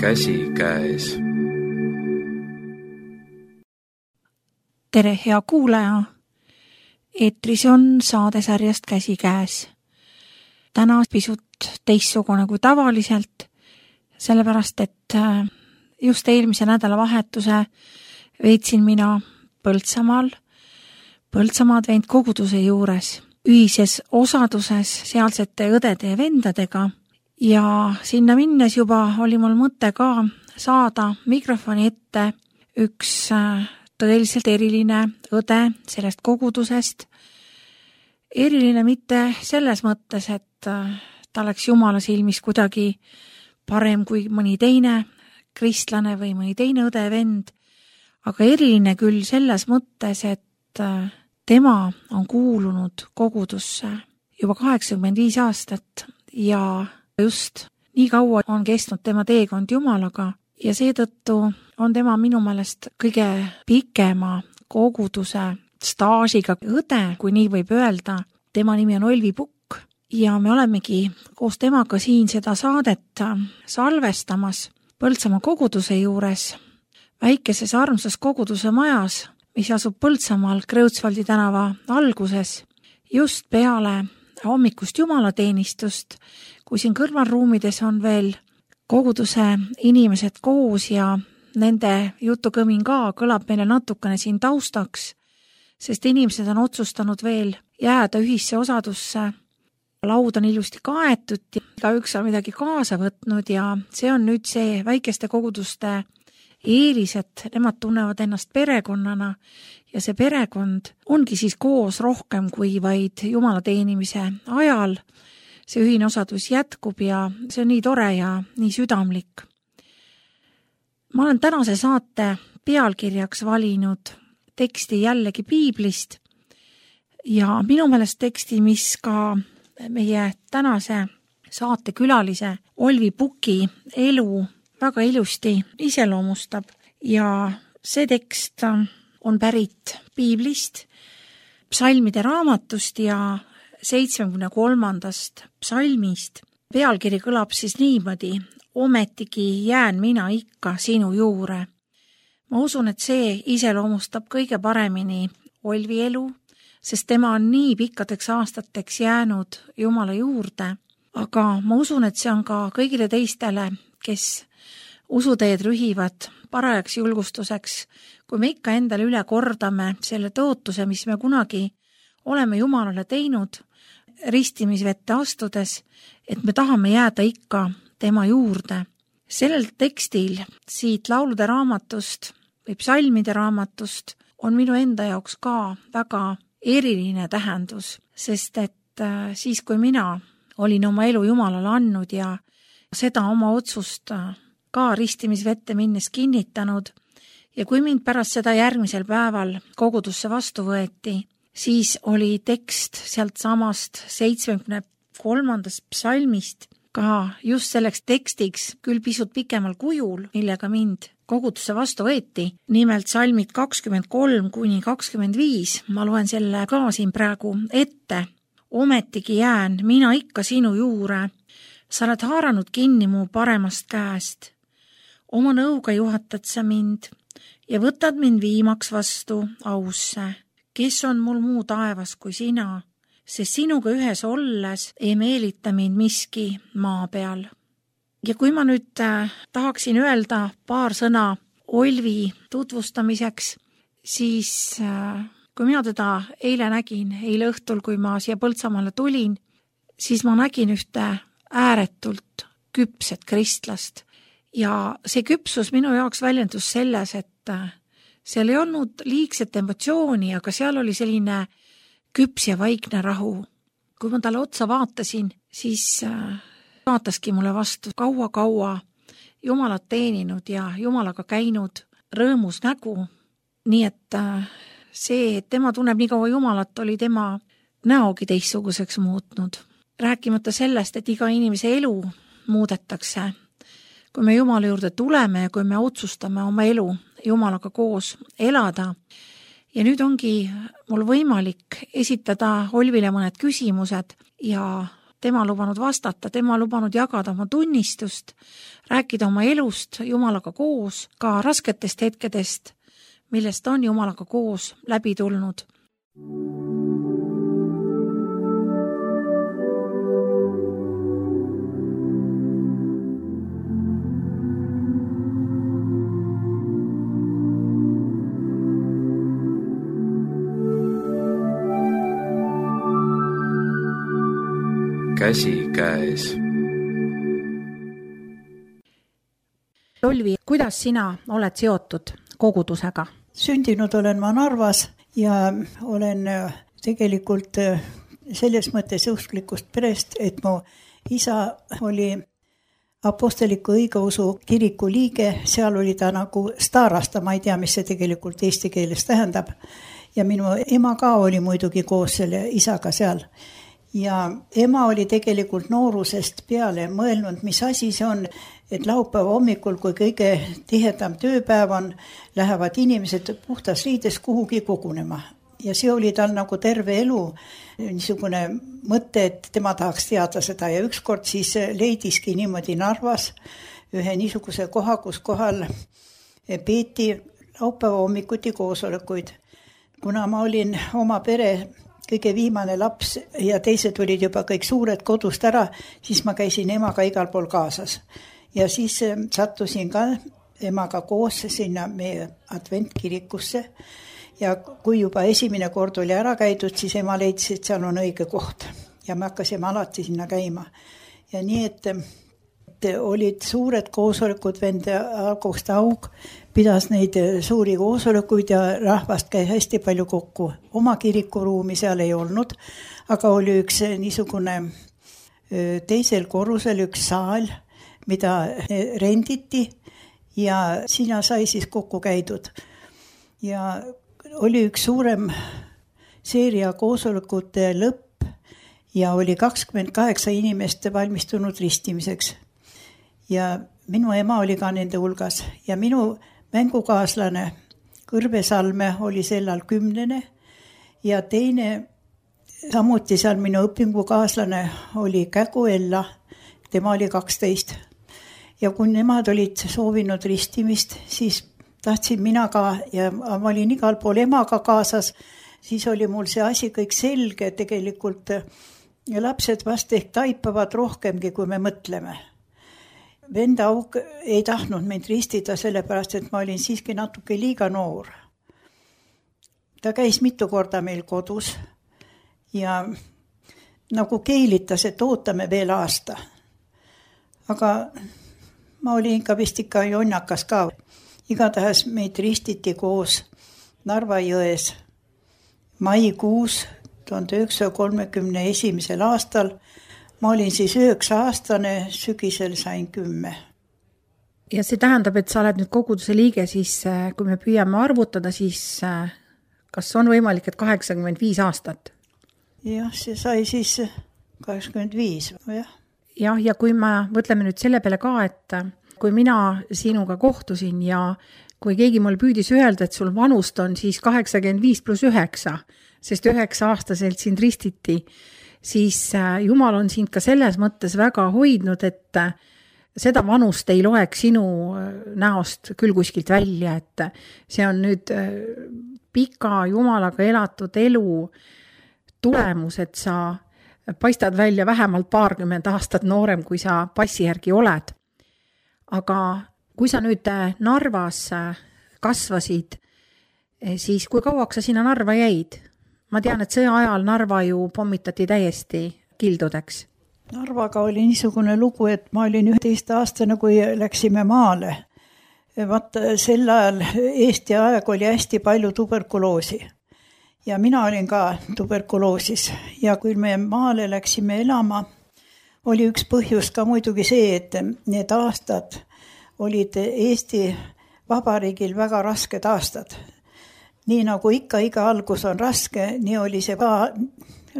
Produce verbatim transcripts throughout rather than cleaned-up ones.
käsikäes. Tere, hea kuulaja! Eetris on saadesarjast Käsikäes. Täna pisut teistsugune kui tavaliselt, sellepärast et just eelmise nädala vahetuse veetsin mina Põltsamaal, Põltsamaa adventkoguduse juures, ühises osaduses sealsete õdede ja vendadega ja sinna minnes juba oli mul mõte ka saada mikrofoni ette üks tõeliselt eriline õde sellest kogudusest. Eriline mitte selles mõttes, et ta oleks Jumala silmis kuidagi parem kui mõni teine kristlane või mõni teine õde vend, aga eriline küll selles mõttes, et tema on kuulunud kogudusse juba kaheksakümmend viis aastat ja just nii kaua on kestnud tema teekond Jumalaga ja seetõttu on tema minu meelest kõige pikema koguduse staažiga õde, kui nii võib öelda. Tema nimi on Olvi Pukk ja me olemegi koos temaga siin seda saadet salvestamas Põltsamaa koguduse juures, väikeses armsas koguduse majas, mis asub Põltsamaal Kreutzwaldi tänava alguses, just peale hommikust jumalateenistust, kui siin kõrvalruumides on veel koguduse inimesed koos ja nende jutukõmin ka kõlab meile natukene siin taustaks, sest inimesed on otsustanud veel jääda ühisse osadusse. Laud on ilusti kaetud ja igaüks on midagi kaasa võtnud ja see on nüüd see väikeste koguduste eelis, et nemad tunnevad ennast perekonnana ja see perekond ongi siis koos rohkem kui vaid Jumala teenimise ajal. See ühine osadus jätkub ja see on nii tore ja nii südamlik. Ma olen tänase saate pealkirjaks valinud teksti jällegi Piiblist ja minu meelest teksti, mis ka meie tänase saate külalise Olvi Puki elu väga ilusti iseloomustab ja see tekst on pärit Piiblist, psalmide raamatust ja seitsmekümne kolmandast psalmist. Pealkiri kõlab siis niimoodi: ometigi jään mina ikka sinu juure. Ma usun, et see iseloomustab kõige paremini Olvi elu, sest tema on nii pikkadeks aastateks jäänud Jumala juurde, aga ma usun, et see on ka kõigile teistele, kes usuteed rühivad parajaks julgustuseks, kui me ikka endale üle kordame selle tõotuse, mis me kunagi oleme Jumalale teinud, ristimisvette astudes, et me tahame jääda ikka tema juurde. Sellel tekstil siit laulude raamatust või psalmide raamatust on minu enda jaoks ka väga eriline tähendus, sest et siis, kui mina olin oma elu Jumalale andnud ja seda oma otsust ka ristimisvette minnes kinnitanud ja kui mind pärast seda järgmisel päeval kogudusse vastu võeti, siis oli tekst sealt samast seitsmekümne kolmandast psalmist ka just selleks tekstiks küll pisut pikemal kujul, millega mind kogudusse vastu võeti. Nimelt psalmid kakskümmend kolm kuni kakskümmend viis. Ma loen selle ka siin praegu ette. Ometigi jään mina ikka sinu juure. Sa oled haaranud kinni mu paremast käest. Oma nõuga juhatad sa mind ja võtad mind viimaks vastu ausse. Kes on mul muu taevas kui sina, sest sinuga ühes olles ei meelita mind miski maa peal. Ja kui ma nüüd äh, tahaksin öelda paar sõna Olvi tutvustamiseks, siis äh, kui mina teda eile nägin, eile õhtul, kui ma siia Põltsamaale tulin, siis ma nägin ühte ääretult küpset kristlast. Ja see küpsus minu jaoks väljendus selles, et äh, seal ei olnud liigset emotsiooni, aga seal oli selline küps ja vaikne rahu. Kui ma talle otsa vaatasin, siis äh, vaataski mulle vastu kaua-kaua Jumalat teeninud ja Jumalaga käinud rõõmus nägu. Nii et äh, see, et tema tunneb nii kaua Jumalat, oli tema näogi teistsuguseks muutnud. Rääkimata sellest, et iga inimese elu muudetakse. Kui me Jumala juurde tuleme ja kui me otsustame oma elu Jumalaga koos elada. Ja nüüd ongi mul võimalik esitada Olvile mõned küsimused ja tema lubanud vastata, tema lubanud jagada oma tunnistust, rääkida oma elust Jumalaga koos, ka rasketest hetkedest, millest on Jumalaga koos läbi tulnud. Käsi käes. Olvi, kuidas sina oled seotud kogudusega? Sündinud olen ma Narvas ja olen tegelikult selles mõttes usklikust perest, et mu isa oli apostoliku õigeusu kiriku liige, seal oli ta nagu staarasta, ma ei tea, mis see tegelikult eesti keeles tähendab. Ja minu ema ka oli muidugi koos selle isaga seal. Ja ema oli tegelikult noorusest peale mõelnud, mis asi see on, et laupäeva hommikul, kui kõige tihedam tööpäev on, lähevad inimesed puhtas riides kuhugi kogunema. Ja see oli tal nagu terve elu niisugune mõte, et tema tahaks teada seda. Ja ükskord siis leidiski niimoodi Narvas ühe niisuguse koha, kus kohal peeti laupäeva hommikuti koosolekuid. Kuna ma olin oma pere kõige viimane laps ja teised olid juba kõik suured kodust ära, siis ma käisin emaga igal pool kaasas. Ja siis sattusin ka emaga koos sinna meie adventkirikusse. Ja kui juba esimene kord oli ära käidud, siis ema leidis, et seal on õige koht. Ja me hakkasime alati sinna käima. Ja nii, et, et olid suured koosolekud, vend August Aug pidas neid suuri koosolekuid ja rahvast käi hästi palju kokku. Oma kirikuruumi seal ei olnud, aga oli üks niisugune teisel korrusel üks saal, mida renditi ja sinna sai siis kokku käidud. Ja oli üks suurem seeria koosolekute lõpp ja oli kakskümmend kaheksa inimest valmistunud ristimiseks. Ja minu ema oli ka nende hulgas ja minu mängukaaslane Kõrve Salme oli sellal kümnene ja teine, samuti seal minu õpingukaaslane oli Kägu Ella, tema oli kaksteist. Ja kui nemad olid soovinud ristimist, siis tahtsin mina ka ja ma olin igal pool emaga kaasas, siis oli mul see asi kõik selge, tegelikult lapsed vast ehk taipavad rohkemgi, kui me mõtleme. Vend Aug ei tahtnud mind ristida sellepärast, et ma olin siiski natuke liiga noor. Ta käis mitu korda meil kodus ja nagu keilitas, et ootame veel aasta. Aga ma olin ikka vist ikka jonnakas ka. Igatahes meid ristiti koos Narva jões maikuus tuhande üheksasaja kolmekümne esimesel aastal. Ma olin siis üheksa aastane, sügisel sain kümme. Ja see tähendab, et sa oled nüüd koguduse liige, siis kui me püüame arvutada, siis kas on võimalik, et kaheksakümmend viis aastat? Jah, see sai siis kaheksakümmend viis. Jah. Jah, ja kui me mõtleme nüüd selle peale ka, et kui mina sinuga kohtusin ja kui keegi mul püüdis öelda, et sul vanust on siis kaheksakümmend viis pluss üheksa, sest üheksa aastaselt sind ristiti, siis Jumal on sind ka selles mõttes väga hoidnud, et seda vanust ei loeks sinu näost küll kuskilt välja, et see on nüüd pika Jumalaga elatud elu tulemus, et sa paistad välja vähemalt paarkümmend aastat noorem, kui sa passi järgi oled. Aga kui sa nüüd Narvas kasvasid, siis kui kauaks sa sinna Narva jäid? Ma tean, et sõja ajal Narva ju pommitati täiesti kildudeks. Narvaga oli niisugune lugu, et ma olin üheteist aastane, kui läksime maale. Vaata, sel ajal Eesti aeg oli hästi palju tuberkuloosi. Ja mina olin ka tuberkuloosis. Ja kui me maale läksime elama, oli üks põhjus ka muidugi see, et need aastad olid Eesti Vabariigil väga rasked aastad. Nii nagu ikka iga algus on raske, nii oli see ka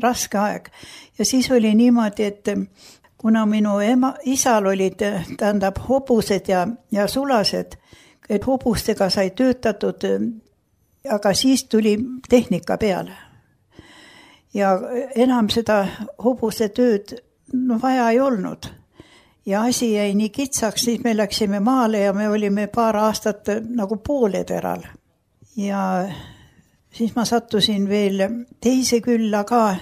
raske aeg. Ja siis oli niimoodi, et kuna minu ema, isal olid tähendab hobused ja, ja sulased, et hobustega sai töötatud, aga siis tuli tehnika peale. Ja enam seda hobuse tööd no vaja ei olnud. Ja asi jäi nii kitsaks, siis me läksime maale ja me olime paar aastat nagu pooleteral. Ja siis ma sattusin veel teise külla ka.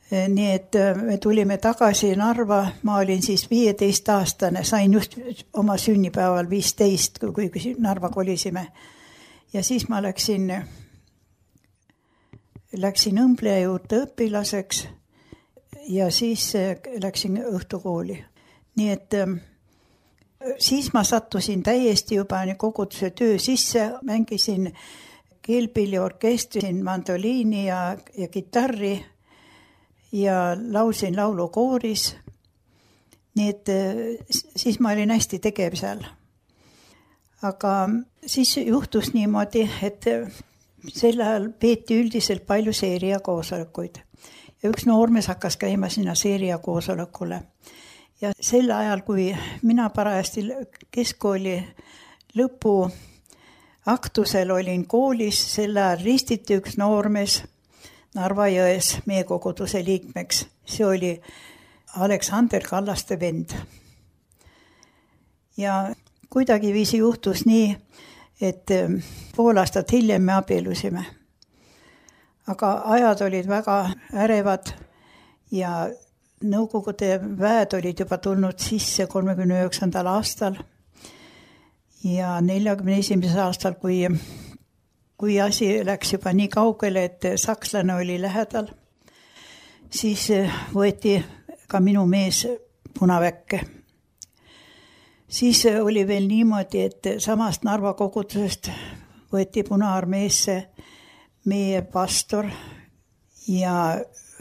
Nii et me tulime tagasi Narva, ma olin siis viieteist aastane, sain just oma sünnipäeval viisteist, kui Narva kolisime. Ja siis ma läksin, läksin õmbleja juurde õpilaseks ja siis läksin õhtukooli. Nii et siis ma sattusin täiesti juba koguduse töö sisse, mängisin keelpilliorkestri, mandoliini ja, ja kitarri ja laulsin laulukooris. Nii et siis ma olin hästi tegev seal. Aga siis juhtus niimoodi, et sel ajal peeti üldiselt palju seeria koosolekuid. Ja üks noormees hakkas käima sinna seeria koosolekule. Ja sel ajal, kui mina parajasti keskkooli lõpu aktusel olin koolis, sel ajal ristiti üks noormees Narva jões meie koguduse liikmeks. See oli Aleksander Kallaste vend. Ja kuidagi viisi juhtus nii, et pool aastat hiljem me abielusime. Aga ajad olid väga ärevad ja Nõukogude väed olid juba tulnud sisse kolmekümne üheksandal aastal ja neljakümne esimesel aastal, kui, kui asi läks juba nii kaugele, et sakslane oli lähedal, siis võeti ka minu mees punaväkke. Siis oli veel niimoodi, et samast Narva kogudusest võeti Punaarmeesse meie pastor ja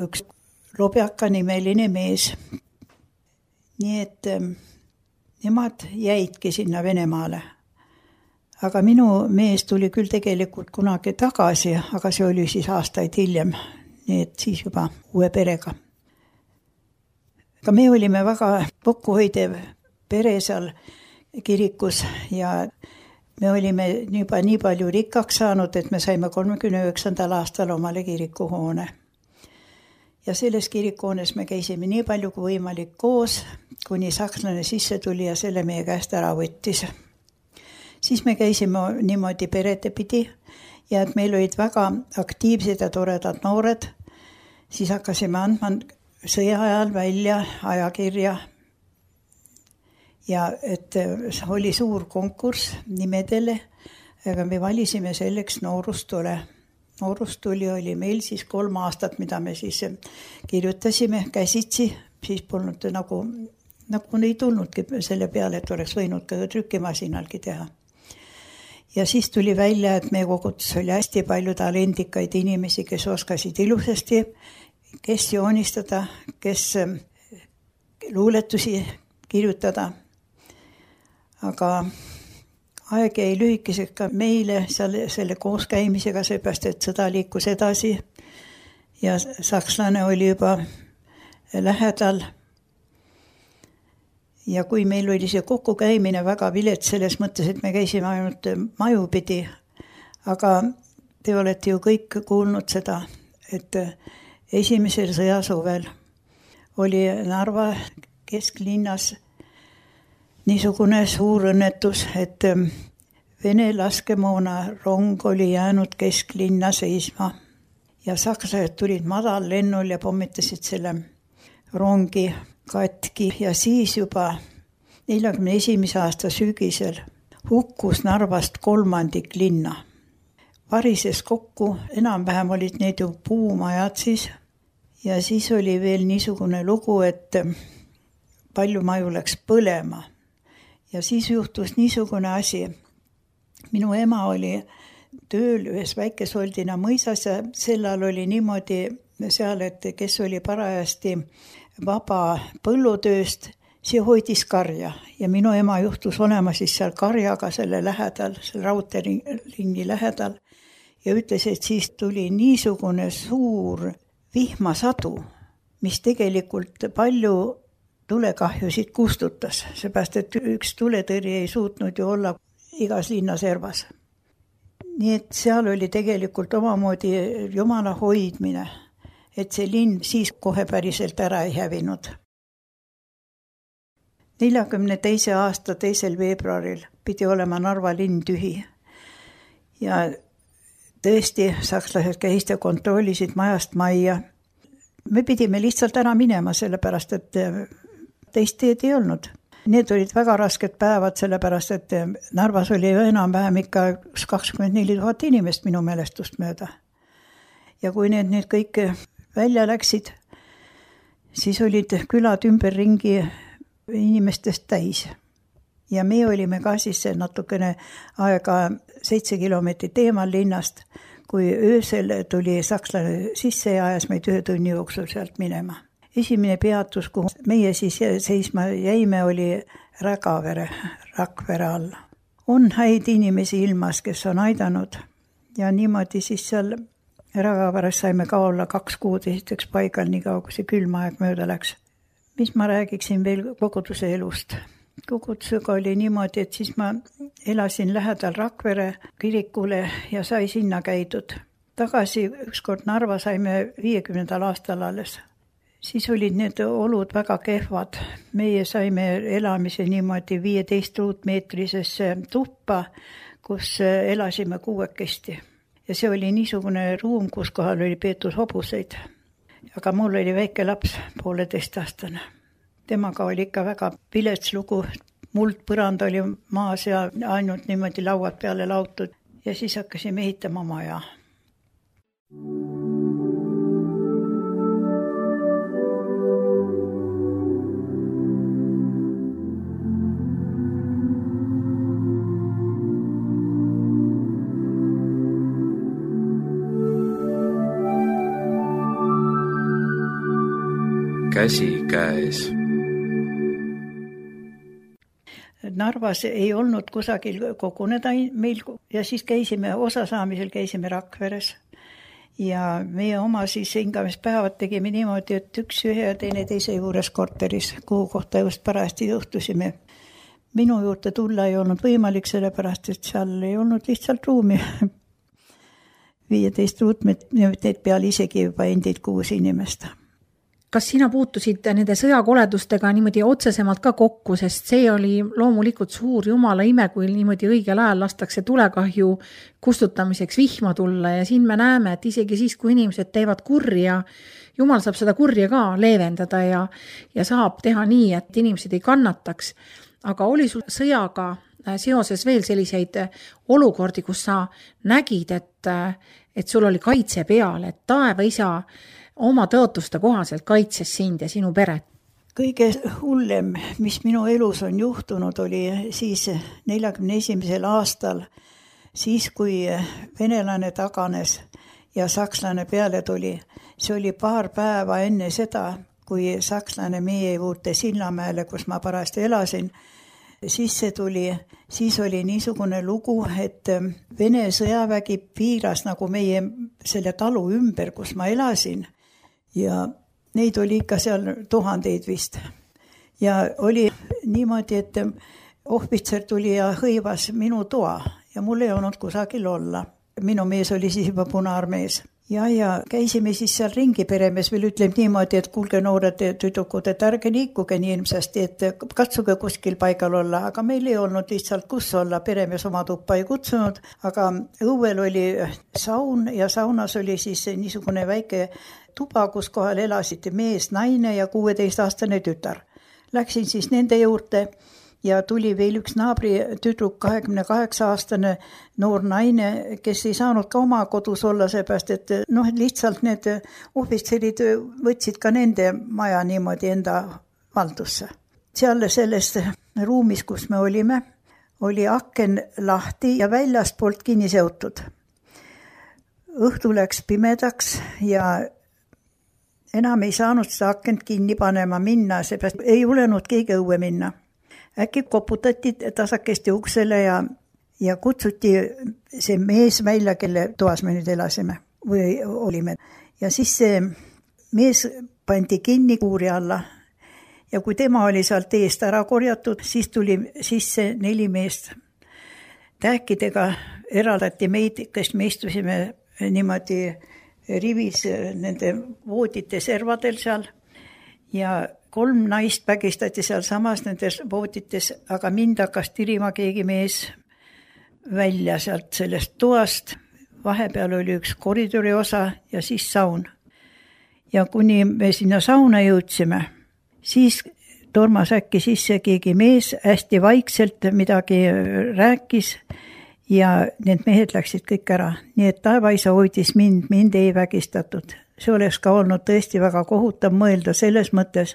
üks Lobjaka nimeline mees. Nii et nemad jäidki sinna Venemaale. Aga minu mees tuli küll tegelikult kunagi tagasi, aga see oli siis aastaid hiljem. Nii et siis juba uue perega. Aga me olime väga kokkuhoidev pere seal kirikus ja me olime juba nii palju rikkaks saanud, et me saime kolmekümne üheksandal aastal omale kirikuhoone. Ja selles kirikuhoones me käisime nii palju kui võimalik koos, kuni sakslane sisse tuli ja selle meie käest ära võttis. Siis me käisime niimoodi perede pidi ja et meil olid väga aktiivsed ja toredad noored. Siis hakkasime andma sõja ajal välja ajakirja ja et oli suur konkurss nimedele, aga me valisime selleks Noorustule. Noorustuli oli meil siis kolm aastat, mida me siis kirjutasime käsitsi, siis polnud nagu, nagu ei tulnudki selle peale, et oleks võinud ka trükkimasinalgi teha. Ja siis tuli välja, et meie kogudus oli hästi palju talendikaid inimesi, kes oskasid ilusasti, kes joonistada, kes luuletusi kirjutada. Aga aeg jäi lühikeseks ka meile selle, selle kooskäimisega, seepärast, et sõda liikus edasi ja sakslane oli juba lähedal. Ja kui meil oli see kokkukäimine väga vilets selles mõttes, et me käisime ainult majupidi, aga te olete ju kõik kuulnud seda, et esimesel sõjasuvel oli Narva kesklinnas niisugune suur õnnetus, et Vene laskemoona rong oli jäänud kesklinna seisma ja sakslased tulid madal lennul ja pommitasid selle rongi katki ja siis juba neljakümne esimese aasta sügisel hukkus Narvast kolmandik linna. Varises kokku, enam-vähem olid need ju puumajad siis ja siis oli veel niisugune lugu, et palju maju läks põlema. Ja siis juhtus niisugune asi. Minu ema oli tööl ühes Väikesoldina mõisas ja sellal oli niimoodi seal, et kes oli parajasti vaba põllutööst, see hoidis karja. Ja minu ema juhtus olema siis seal karjaga selle lähedal, selle raudteelingi lähedal. Ja ütles, et siis tuli niisugune suur vihmasadu, mis tegelikult palju tulekahjusid kustutas, seepärast, et üks tuletõrje ei suutnud ju olla igas linna servas. Nii et seal oli tegelikult omamoodi Jumala hoidmine, et see linn siis kohe päriselt ära ei hävinud. neljakümne teise aasta teisel veebruaril pidi olema Narva linn tühi. Ja tõesti, sakslased käisid ja kontrollisid majast majja. Me pidime lihtsalt ära minema, sellepärast, et teist teed ei olnud. Need olid väga rasked päevad, sellepärast, et Narvas oli enam-vähem ikka kakskümmend neli tuhat inimest minu mälestust mööda. Ja kui need, need kõik välja läksid, siis olid külad ümberringi inimestest täis. Ja me olime ka siis natukene aega seitse kilomeetrit eemal linnast, kui öösel tuli sakslane sisse ja ajas meid ühe tunni jooksul sealt minema. Esimene peatus, kuhu meie siis seisma jäime, oli Rägavere, Rakvere alla. On häid inimesi ilmas, kes on aidanud ja niimoodi siis seal Rägaveres saime ka olla kaks kuud esiteks paigal, nii kaua, kui see külma aeg mööda läks. Mis ma räägiksin veel koguduse elust? Kogudusega oli niimoodi, et siis ma elasin lähedal Rakvere kirikule ja sai sinna käidud. Tagasi ükskord Narva saime viiekümnendal aastal alles. Siis olid need olud väga kehvad. Meie saime elamise niimoodi viieteist ruutmeetrisesse tuppa, kus elasime kuuekesti. Ja see oli niisugune ruum, kus kohal oli peetud hobuseid. Aga mul oli väike laps, pooleteist aastane. Temaga oli ikka väga vilets lugu. Muld põrand oli maas ja ainult niimoodi lauad peale lautud. Ja siis hakkasime ehitama maja. Käsi käes. Narvas ei olnud kusagil koguneda meil ja siis käisime, osa saamisel käisime Rakveres. Ja meie oma siis hingamispäevad tegime niimoodi, et üks ühe ja teine teise juures korteris, kuhu kohta just parajasti juhtusime. Minu juurde tulla ei olnud võimalik, sellepärast, et seal ei olnud lihtsalt ruumi. viieteist ruutmeetrit peal isegi juba endid kuus inimest. Kas sina puutusid nende sõjakoledustega niimoodi otsesemalt ka kokku, sest see oli loomulikult suur jumala ime, kui niimoodi õigel ajal lastakse tulekahju kustutamiseks vihma tulla ja siin me näeme, et isegi siis, kui inimesed teevad kurja, jumal saab seda kurja ka leevendada ja, ja saab teha nii, et inimesed ei kannataks. Aga oli sul sõjaga seoses veel selliseid olukordi, kus sa nägid, et, et sul oli kaitse peal, et taeva isa oma tõotuste kohaselt kaitses sind ja sinu peret? Kõige hullem, mis minu elus on juhtunud, oli siis neljakümne esimesel aastal, siis kui venelane taganes ja sakslane peale tuli. See oli paar päeva enne seda, kui sakslane meie juurde Sillamäele, kus ma parajasti elasin, siis see tuli, siis oli niisugune lugu, et Vene sõjavägi piiras nagu meie selle talu ümber, kus ma elasin. Ja neid oli ikka seal tuhandeid vist. Ja oli niimoodi, et ohvitser tuli ja hõivas minu toa ja mul ei olnud kusagil olla. Minu mees oli siis juba punaarmees. Ja, ja käisime siis seal ringi, peremees veel ütleb niimoodi, et kuulge noored tüdrukud, et ärge liikuge nii ilmsasti, et katsuge kuskil paigal olla, aga meil ei olnud lihtsalt kus olla, peremees oma tuppa ei kutsunud, aga õuel oli saun ja saunas oli siis niisugune väike tuba, kus kohal elasid mees, naine ja kuueteistaastane tütar. Läksin siis nende juurde ja tuli veel üks naabri tüdruk, kahekümne kaheksa aastane noor naine, kes ei saanud ka oma kodus olla, seepärast, et noh, lihtsalt need ohvitserid võtsid ka nende maja niimoodi enda valdusse. Seal selles ruumis, kus me olime, oli aken lahti ja väljast poolt kinni seotud. Õhtu läks pimedaks ja enam ei saanud seda akent kinni panema minna, seepärast ei julenud keegi õue minna. Äkki koputati tasakesti uksele ja, ja kutsuti see mees välja, kelle toas me nüüd elasime või olime. Ja siis see mees pandi kinni kuuri alla ja kui tema oli sealt eest ära korjatud, siis tuli sisse neli meest. Tähkidega eraldati meid, kes me istusime niimoodi rivis nende voodite servadel seal ja kolm naist vägistati seal samas nendes voodites, aga mind hakkas tirima keegi mees välja sealt sellest toast. Vahepeal oli üks koridori osa ja siis saun. Ja kuni me sinna sauna jõudsime, siis tormas äkki sisse keegi mees, hästi vaikselt midagi rääkis ja need mehed läksid kõik ära. Nii et taevaisa hoidis mind, mind ei vägistatud. See oleks ka olnud tõesti väga kohutav mõelda selles mõttes,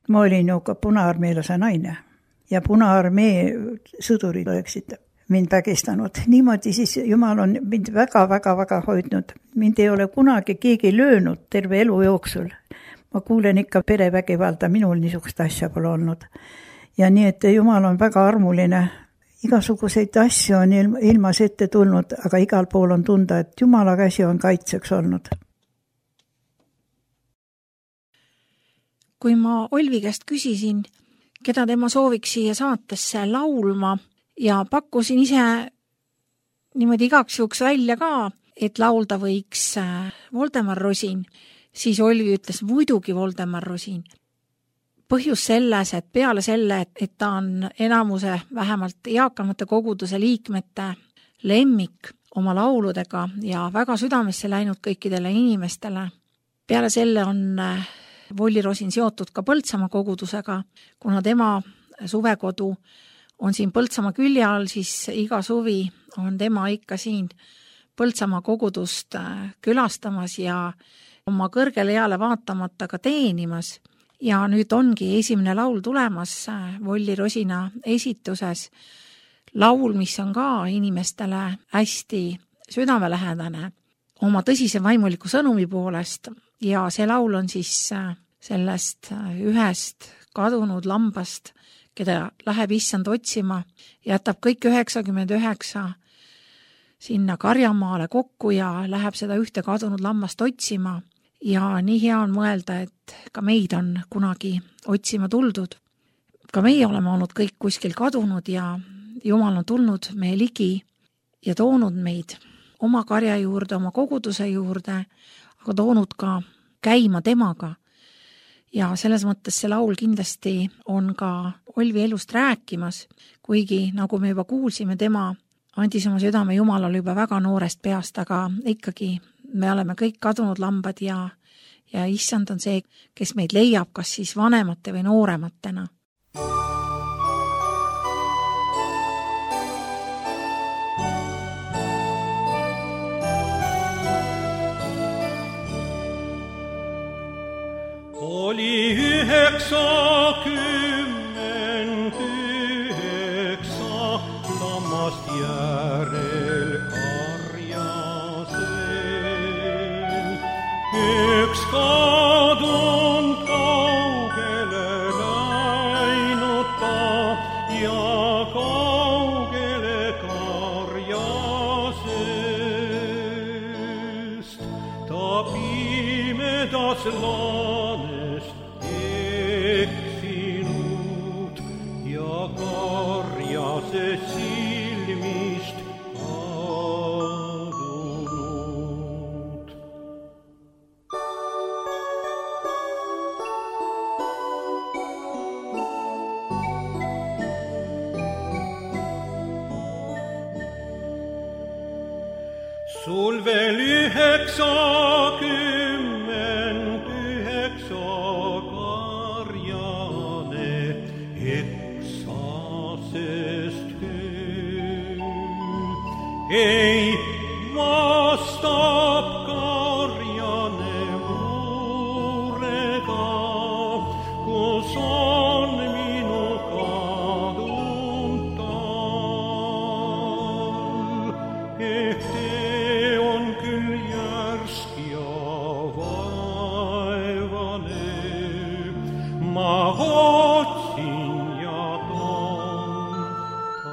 ma olin ju ka Punaarmeelase naine ja Punaarmee sõdurid oleksid mind vägistanud. Niimoodi siis Jumal on mind väga-väga-väga hoidnud. Mind ei ole kunagi keegi löönud terve elu jooksul. Ma kuulen ikka perevägivalda, minul niisugust asja pole olnud. Ja nii, et Jumal on väga armuline. Igasuguseid asju on ilmas ette tulnud, aga igal pool on tunda, et Jumala käsi on kaitseks olnud. Kui ma Olvi käest küsisin, keda tema sooviks siia saatesse laulma ja pakkusin ise niimoodi igaks juhuks välja ka, et laulda võiks Voldemar Rosin, siis Olvi ütles muidugi Voldemar Rosin. Põhjus selles, et peale selle, et ta on enamuse vähemalt eakamate koguduse liikmete lemmik oma lauludega ja väga südamesse läinud kõikidele inimestele. Peale selle on Volli Rosin seotud ka Põltsamaa kogudusega, kuna tema suvekodu on siin Põltsamaa külje all, siis iga suvi on tema ikka siin Põltsamaa kogudust külastamas ja oma kõrgele eale vaatamata ka teenimas. Ja nüüd ongi esimene laul tulemas Volli Rosina esituses. Laul, mis on ka inimestele hästi südamelähedane oma tõsise vaimuliku sõnumi poolest ja see laul on siis sellest ühest kadunud lambast, keda läheb issand otsima, jätab kõik üheksakümmend üheksa sinna Karjamaale kokku ja läheb seda ühte kadunud lammast otsima. Ja nii hea on mõelda, et ka meid on kunagi otsima tuldud. Ka meie oleme olnud kõik kuskil kadunud ja Jumal on tulnud meie ligi ja toonud meid oma karja juurde, oma koguduse juurde, aga toonud ka käima temaga. Ja selles mõttes see laul kindlasti on ka Olvi elust rääkimas, kuigi nagu me juba kuulsime, tema andis oma südame Jumalale juba väga noorest peast, aga ikkagi me oleme kõik kadunud lambad ja, ja issand on see, kes meid leiab, kas siis vanemate või noorematena. Oli üheksakümmend üheksa lammast järel karjasel. Üks kadunud kaugele läinud ta ja kaugele karjasest. Ta pimedas laanest eksinud ja karjase silmist kadunud. Sul veel üheksakümmend üheksa karjane eksasest küll. Ei vastab karjane murega, kus on minu kadunud tal. Ehk tee on küll järsk ja vaevane, ma otsin ja toon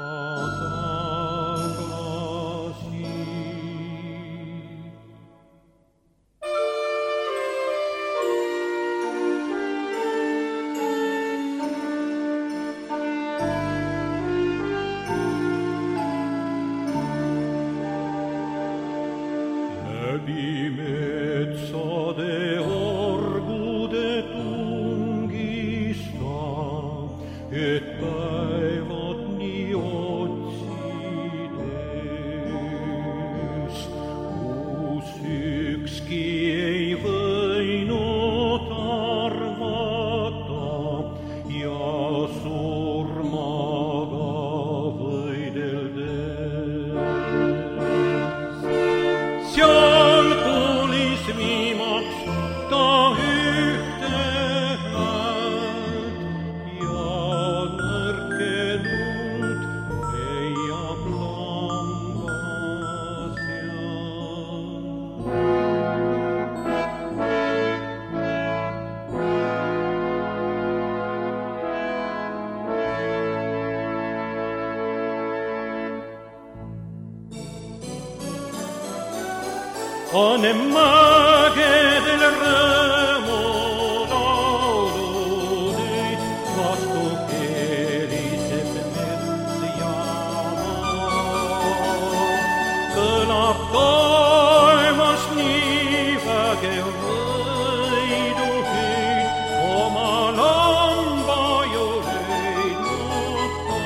ta tagasi. Läbi metsade orgude tungis et päevad nii otsides, kus ükski ei võinud arvata ja surmaga võideldes. Seal kuulis viimaks ta ühte häält ja nõrkenud leiab lamba pane mägedel rõõmulauludeid, vastu keeriseb mets ja maa. Kõlab taevas nii vägev võiduhüüd, oma lamba juleid mõtta.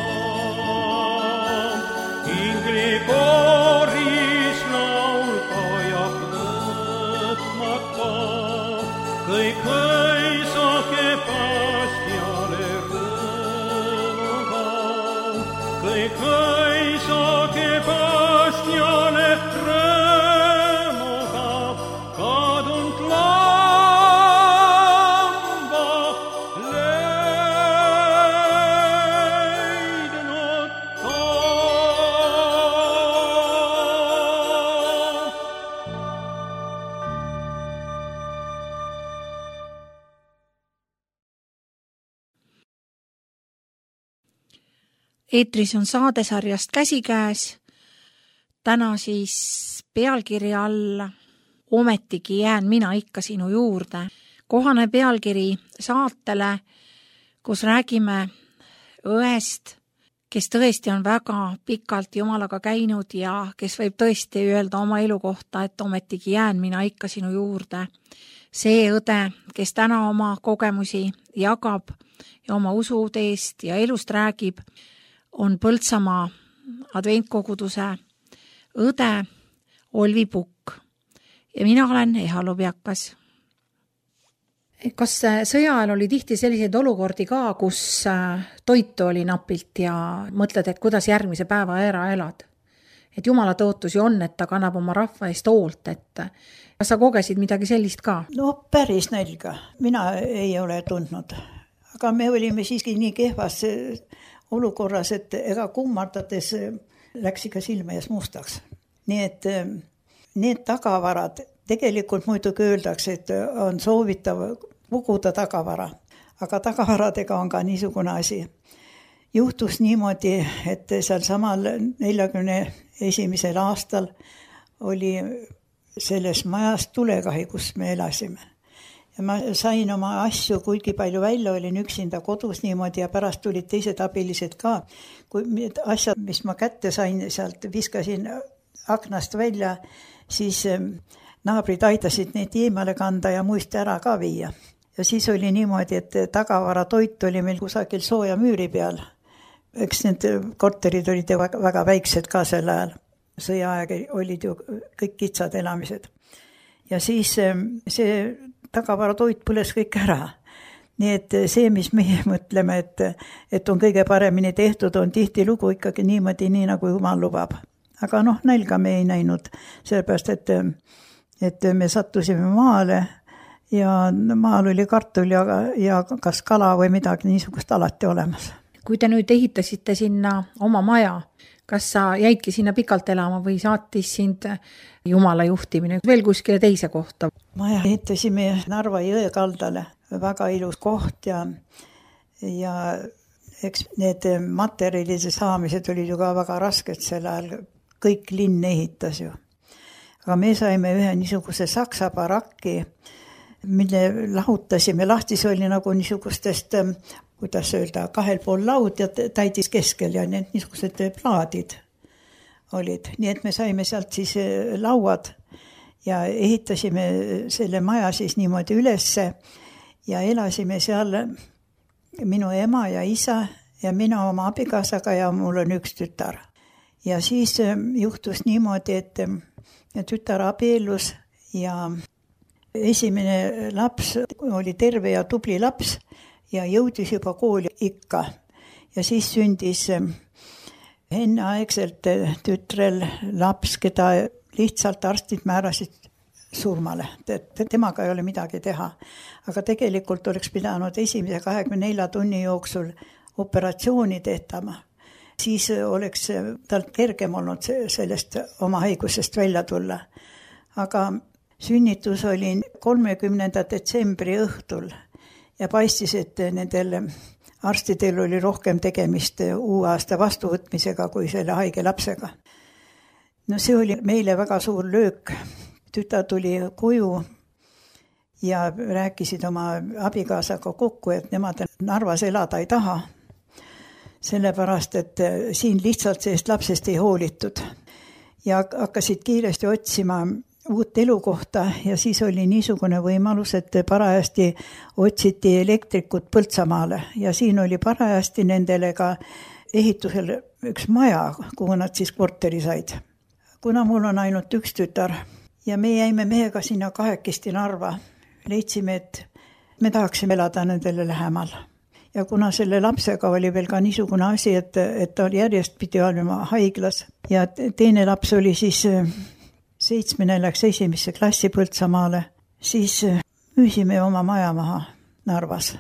Ingli kooris laul kajab lõpmata, kõik õisake päästjale rõõmuga, kõik õisake päästjale rõõmuga, kadunud lamba leidnud ta. Eetris on saadesarjast Käsikäes. Täna siis pealkirja all Ometigi jään mina ikka sinu juurde. Kohane pealkiri saatele, kus räägime õest, kes tõesti on väga pikalt Jumalaga käinud ja kes võib tõesti öelda oma elu kohta, et ometigi jään mina ikka sinu juurde. See õde, kes täna oma kogemusi jagab ja oma usuteest ja elust räägib, on Põltsamaa adventkoguduse õde Olvi Pukk ja mina olen Eha Lubjakas. Kas sõja ajal oli tihti selliseid olukordi ka, kus toitu oli napilt ja mõtled, et kuidas järgmise päeva ära elad? Et Jumala tõotusi on, et ta kannab oma rahva eest hoolt, et kas sa kogesid midagi sellist ka? No päris nälga. Mina ei ole tundnud. Aga me olime siiski nii kehvas olukorras, et ega kummardades läks ikka silme ees mustaks. Nii et need tagavarad, tegelikult muidugi öeldakse, et on soovitav puguda tagavara, aga tagavaradega on ka niisugune asi. Juhtus niimoodi, et seal samal neljakümne esimesel aastal oli selles majas tulekahi, kus me elasime. Ja ma sain oma asju kuigi palju välja, olin üksinda kodus niimoodi ja pärast tulid teised abilised ka. Kui asjad, mis ma kätte sain, sealt viskasin aknast välja, siis naabrid aitasid neid eemale kanda ja muist ära ka viia. Ja siis oli niimoodi, et tagavara toit oli meil kusagil sooja müüri peal. Eks need korterid olid väga, väga väiksed ka sel ajal. Sõjaaeg olid ju kõik kitsad elamised. Ja siis see tagavara toit põles kõik ära. Nii et see, mis meie mõtleme, et, et on kõige paremini tehtud, on tihti lugu ikkagi niimoodi, nii nagu Jumal lubab. Aga noh, nälga me ei näinud, sellepärast, et, et me sattusime maale ja maal oli kartul ja, ja kas kala või midagi niisugust alati olemas. Kui te nüüd ehitasite sinna oma maja, kas sa jäidki sinna pikalt elama või saatis sind Jumala juhtimine veel kuskile teise kohta? Maja ehitasime Narva jõe kaldale, väga ilus koht ja, ja eks need materjalide saamised olid ju ka väga rasked sel ajal, kõik linn ehitas ju. Aga me saime ühe niisuguse saksa barakki, mille lahutasime, lahtis oli nagu niisugustest, kuidas öelda, kahel pool laud ja täidis keskel ja need niisugused plaadid olid. Nii et me saime sealt siis lauad ja ehitasime selle maja siis niimoodi ülesse ja elasime seal minu ema ja isa ja mina oma abikaasaga ja mul on üks tütar. Ja siis juhtus niimoodi, et tütar abiellus ja esimene laps oli terve ja tubli laps ja jõudis juba kooli ikka. Ja siis sündis enneaegselt tütrel laps, keda lihtsalt arstid määrasid surmale. Temaga ei ole midagi teha. Aga tegelikult oleks pidanud esimese kahekümne nelja tunni jooksul operatsiooni tehtama. Siis oleks tal kergem olnud sellest oma haigusest välja tulla. Aga sünnitus oli kolmekümnenda detsembri õhtul ja paistis, et nendel arstidel oli rohkem tegemist uue aasta vastuvõtmisega kui selle haige lapsega. No see oli meile väga suur löök. Tüta tuli koju ja rääkisid oma abikaasaga kokku, et nemad Narvas elada ei taha. Sellepärast, et siin lihtsalt sellest lapsest ei hoolitud. Ja hakkasid kiiresti otsima uut elukohta ja siis oli niisugune võimalus, et parajasti otsiti elektrikut Põltsamaale ja siin oli parajasti nendele ka ehitusel üks maja, kuhu nad siis korteri said. Kuna mul on ainult üks tütar ja me jäime mehega sinna kahekesti Narva, leidsime, et me tahaksime elada nendele lähemal. Ja kuna selle lapsega oli veel ka niisugune asi, et, et ta oli järjest pidi olema haiglas ja teine laps oli siis seitsmene läks esimesse klassi Põltsamaale, siis müüsime oma maja maha Narvas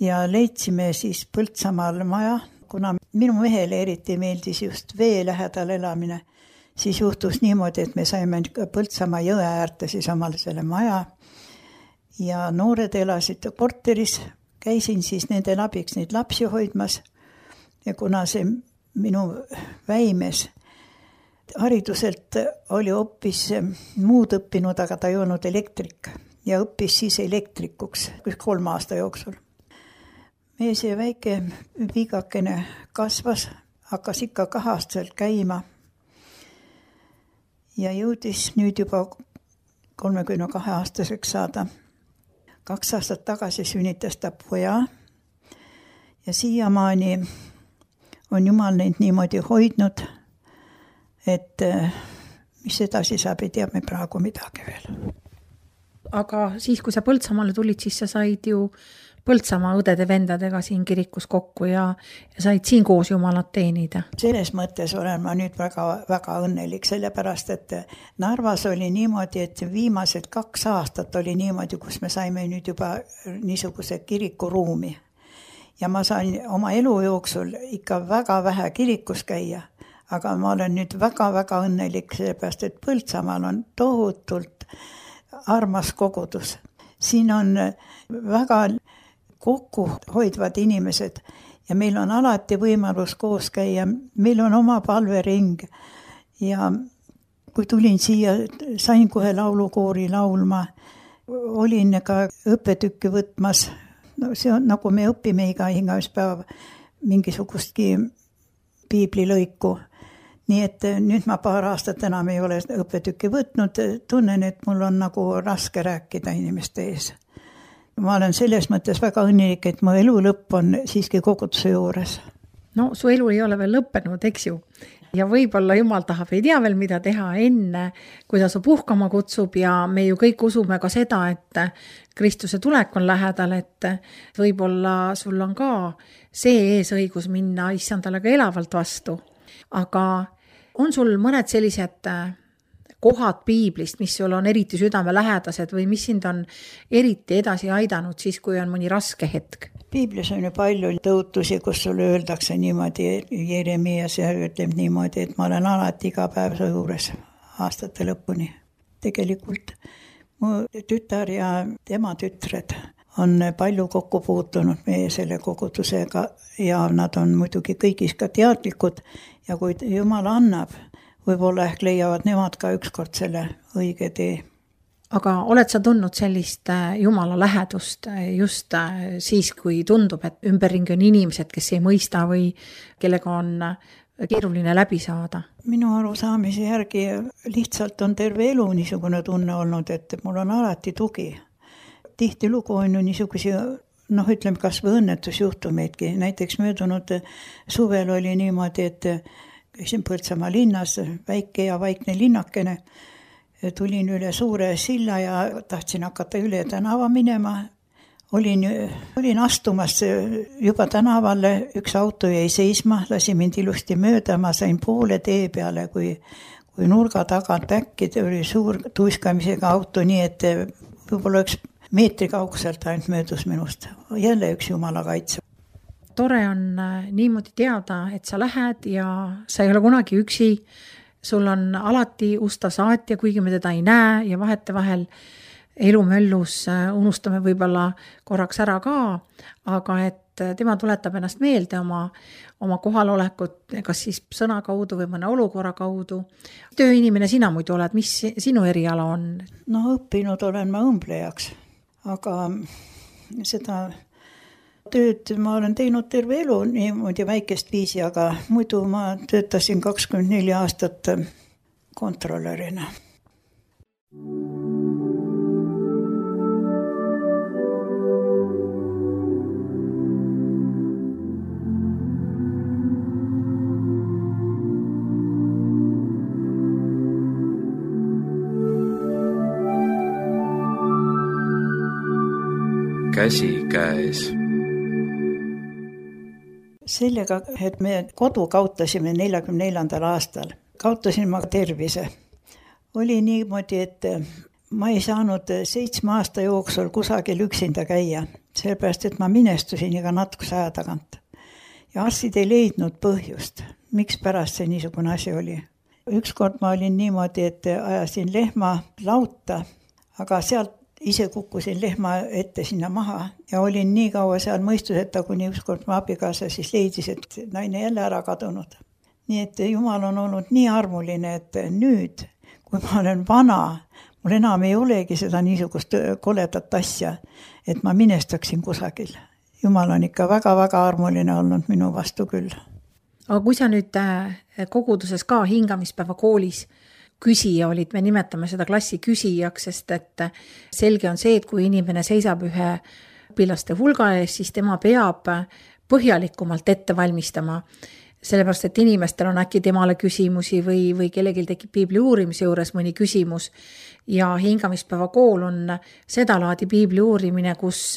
ja leidsime siis Põltsamaal maja. Kuna minu mehele eriti meeldis just vee lähedal elamine, siis juhtus niimoodi, et me saime Põltsamaa jõe äärte siis omale selle maja ja noored elasid korteris. Käisin siis nende abiks neid lapsi hoidmas ja kuna see minu väimes hariduselt oli hoopis muud õppinud, aga ta ei olnud elektrik ja õppis siis elektrikuks kolm aasta jooksul. Meie see väike viigakene kasvas, hakkas ikka kahaastaselt käima ja jõudis nüüd juba kolmekümne kahe aastaseks saada. Kaks aastat tagasi sünnitas ta poja ja siiamaani on Jumal neid niimoodi hoidnud, et mis edasi saab, ei tea me praegu midagi veel. Aga siis, kui sa Põltsamaale tulid, siis sa said ju Põltsamaa õdede vendadega siin kirikus kokku ja, ja said siin koos Jumalat teenida. Selles mõttes olen ma nüüd väga, väga õnnelik, sellepärast, et Narvas oli niimoodi, et viimased kaks aastat oli niimoodi, kus me saime nüüd juba niisuguse kirikuruumi. Ja ma sain oma elu jooksul ikka väga vähe kirikus käia, aga ma olen nüüd väga-väga õnnelik, sellepärast, et Põltsamaal on tohutult armas kogudus. Siin on väga kokku hoidvad inimesed ja meil on alati võimalus koos käia. Meil on oma palvering ja kui tulin siia, sain kohe laulukoori laulma, olin ka õppetükki võtmas. No, see on nagu me õpime iga hingauspäev mingisugustki piiblilõiku. Nii et nüüd ma paar aastat enam ei ole õppetükki võtnud, tunnen, et mul on nagu raske rääkida inimeste ees. Ma olen selles mõttes väga õnnelik, et mu elu lõpp on siiski koguduse juures. No su elu ei ole veel lõppenud, eks ju. Ja võib-olla Jumal tahab ei tea veel mida teha enne, kui ta su puhkama kutsub ja me ju kõik usume ka seda, et Kristuse tulek on lähedal, et võib-olla sul on ka see eesõigus minna issandale ka elavalt vastu. Aga on sul mõned sellised kohad piiblist, mis sul on eriti südame lähedased või mis sind on eriti edasi aidanud siis, kui on mõni raske hetk? Piiblis on ju palju tõotusi, kus sulle öeldakse niimoodi, Jeremias ütleb niimoodi, et ma olen alati iga päev su juures aastate lõpuni. Tegelikult mu tütar ja tema tütred on palju kokku puutunud meie selle kogudusega ja nad on muidugi kõigis ka teadlikud ja kui Jumal annab, võib-olla ehk leiavad nemad ka ükskord selle õige tee. Aga oled sa tundnud sellist Jumala lähedust just siis, kui tundub, et ümberringi on inimesed, kes ei mõista või kellega on keeruline läbi saada? Minu arusaamise järgi lihtsalt on terve elu niisugune tunne olnud, et mul on alati tugi. Tihti lugu on ju niisuguse noh, ütleme kas või õnnetusjuhtumeidki. Näiteks möödunud suvel oli niimoodi, et käisin Põltsamaa linnas, väike ja vaikne linnakene. Tulin üle suure silla ja tahtsin hakata üle tänava minema. Olin, olin astumas juba tänavalle, üks auto jäi seisma, lasi mind ilusti mööda, ma sain poole tee peale, kui, kui nurga tagant äkki oli suur tuiskamisega auto, nii et võib-olla üks meetri kaugselt ainult möödus minust. Jälle üks jumala kaitse. Tore on niimoodi teada, et sa lähed ja sa ei ole kunagi üksi. Sul on alati usta saatja, kuigi me teda ei näe ja vahete vahel elumöllus unustame võib-olla korraks ära ka, aga et tema tuletab ennast meelde oma, oma kohalolekut, kas siis sõna kaudu või mõne olukorra kaudu. Tööinimene sina muidu oled, mis sinu eriala on? No õppinud olen ma õmblejaks, aga seda tööd ma olen teinud terve elu niimoodi väikest viisi, aga muidu ma töötasin kakskümmend neli aastat kontrolörina. Käsi käes. Sellega, et me kodu kaotasime neljakümne neljandal aastal. Kaotasin ma tervise. Oli niimoodi, et ma ei saanud seitsme aasta jooksul kusagil üksinda käia, sellepärast, et ma minestusin iga natukese aja tagant. Ja arstid ei leidnud põhjust, miks pärast see niisugune asi oli. Ükskord ma olin niimoodi, et ajasin lehma lauta, aga sealt ise kukkusin lehma ette sinna maha ja olin nii kaua seal mõistuseta, kuni ükskord ma abikaasa siis leidis, et naine jälle ära kadunud. Nii et Jumal on olnud nii armuline, et nüüd, kui ma olen vana, mul enam ei olegi seda niisugust koledat asja, et ma minestaksin kusagil. Jumal on ikka väga-väga armuline olnud minu vastu küll. Aga kui sa nüüd koguduses ka hingamispäeva koolis küsija olid, me nimetame seda klassi küsijaks, sest et selge on see, et kui inimene seisab ühe õpilaste hulga ees, siis tema peab põhjalikumalt ette valmistama, sellepärast, et inimestel on äkki temale küsimusi või, või kellelgi tekib piibli uurimise juures mõni küsimus ja hingamispäeva kool on seda laadi piibli uurimine, kus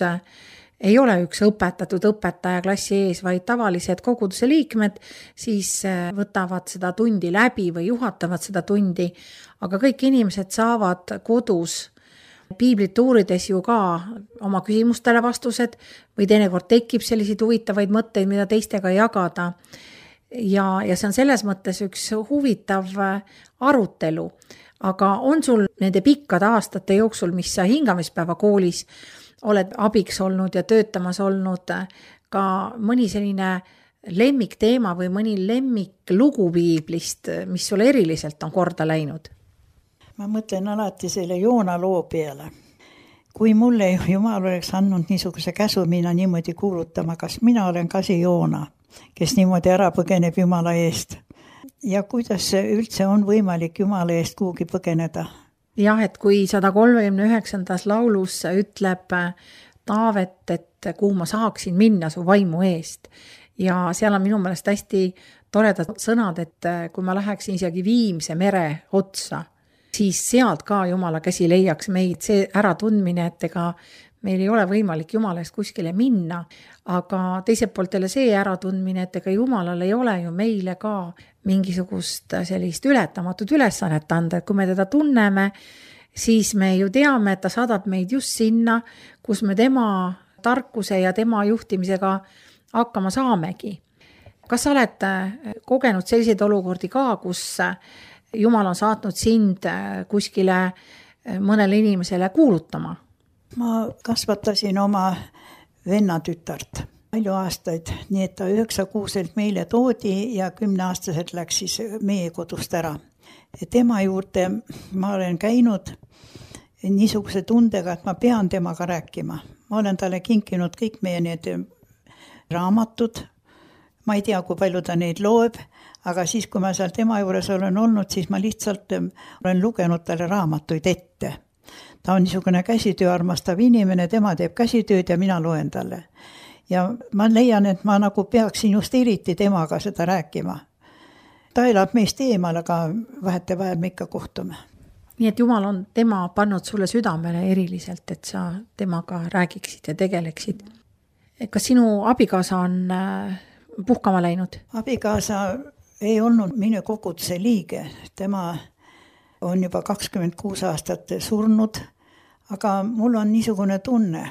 ei ole üks õpetatud õpetaja klassi ees, vaid tavalised koguduse liikmed siis võtavad seda tundi läbi või juhatavad seda tundi, aga kõik inimesed saavad kodus piiblit uurides ju ka oma küsimustele vastused või teinekord tekib selliseid huvitavaid mõtteid, mida teistega jagada. Ja, ja see on selles mõttes üks huvitav arutelu, aga on sul nende pikkade aastate jooksul, mis sa hingamispäeva koolis oled abiks olnud ja töötamas olnud, ka mõni selline lemmikteema või mõni lemmik lugu piiblist, mis sulle eriliselt on korda läinud? Ma mõtlen alati selle Joona loo peale. Kui mulle Jumal oleks andnud niisuguse käsu minna niimoodi kuulutama, kas mina olen ka see Joona, kes niimoodi ära põgeneb Jumala eest. Ja kuidas üldse on võimalik Jumala eest kuhugi põgeneda? Jah, et kui sada kolmekümne üheksandas laulus ütleb Taavet, et kuhu ma saaksin minna su vaimu eest. Ja seal on minu meelest hästi toredad sõnad, et kui ma läheksin isegi Viimse mere otsa, siis sealt ka Jumala käsi leiaks meid see äratundmine, et ega meil ei ole võimalik Jumala eest kuskile minna, aga teiselt poolt jälle see äratundmine, et ega Jumalal ei ole ju meile ka mingisugust sellist ületamatut ülesannet anda, et kui me teda tunneme, siis me ju teame, et ta saadab meid just sinna, kus me tema tarkuse ja tema juhtimisega hakkama saamegi. Kas sa oled kogenud selliseid olukordi ka, kus Jumal on saatnud sind kuskile mõnele inimesele kuulutama? Ma kasvatasin oma vennatütart palju aastaid, nii et ta üheksakuuselt meile toodi ja kümneaastaselt läks siis meie kodust ära. Tema juurde ma olen käinud niisuguse tundega, et ma pean temaga rääkima. Ma olen talle kinkinud kõik meie need raamatud. Ma ei tea, kui palju ta neid loeb, aga siis, kui ma seal tema juures olen olnud, siis ma lihtsalt olen lugenud talle raamatuid ette. ta on niisugune käsitöö armastav inimene, tema teeb käsitööd ja mina loen talle. Ja ma leian, et ma nagu peaksin just eriti temaga seda rääkima. Ta elab meist eemal, aga vahete vahel me ikka kohtume. Nii et Jumal on tema pannud sulle südamele eriliselt, et sa temaga räägiksid ja tegeleksid. Kas sinu abikaasa on puhkama läinud? Abikaasa ei olnud minu koguduse liige. Tema on juba kakskümmend kuus aastat surnud, aga mul on niisugune tunne,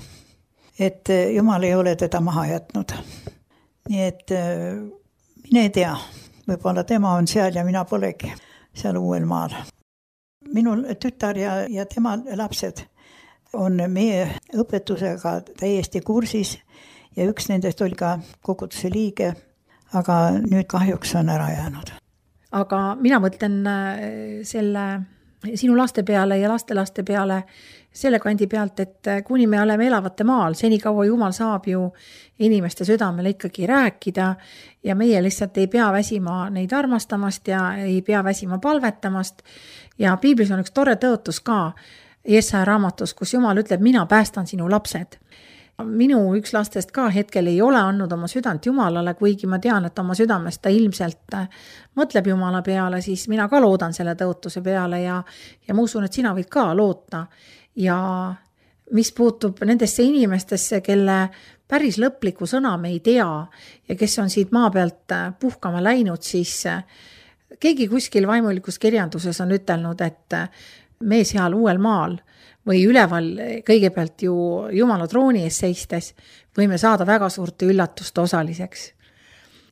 et Jumal ei ole teda maha jätnud. Nii et mine ei tea, võib-olla tema on seal ja mina polegi seal uuel maal. Minul tütar ja, ja tema lapsed on meie õpetusega täiesti kursis ja üks nendest oli ka koguduse liige, aga nüüd kahjuks on ära jäänud. Aga mina mõtlen selle sinu laste peale ja laste laste peale selle kandi pealt, et kuni me oleme elavate maal, senikaua Jumal saab ju inimeste südamele ikkagi rääkida ja meie lihtsalt ei pea väsima neid armastamast ja ei pea väsima palvetamast. Ja Piiblis on üks tore tõotus ka Jesaja raamatus, kus Jumal ütleb, mina päästan sinu lapsed. Minu üks lastest ka hetkel ei ole andnud oma südant Jumalale, kuigi ma tean, et oma südamest ta ilmselt mõtleb Jumala peale, siis mina ka loodan selle tõotuse peale ja, ja ma usun, et sina võid ka loota. Ja mis puutub nendesse inimestesse, kelle päris lõplikku sõna me ei tea ja kes on siit maa pealt puhkama läinud, siis keegi kuskil vaimulikus kirjanduses on ütelnud, et me seal uuel maal või üleval kõigepealt ju Jumala trooni ees seistes võime saada väga suurte üllatuste osaliseks.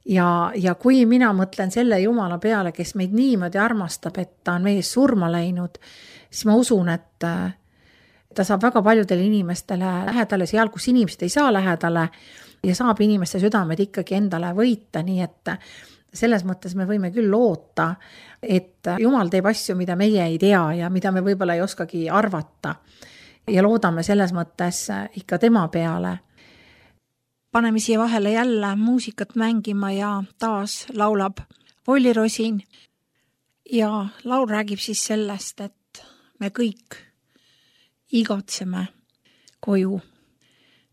Ja, ja kui mina mõtlen selle Jumala peale, kes meid niimoodi armastab, et ta on mees surma läinud, siis ma usun, et ta saab väga paljudele inimestele lähedale seal, kus inimesed ei saa lähedale ja saab inimeste südamed ikkagi endale võita, nii et selles mõttes me võime küll loota, et Jumal teeb asju, mida meie ei tea ja mida me võib-olla ei oskagi arvata. Ja loodame selles mõttes ikka tema peale. Paneme siia vahele jälle muusikat mängima ja taas laulab Volli Rosin. Ja laul räägib siis sellest, et me kõik igatseme koju.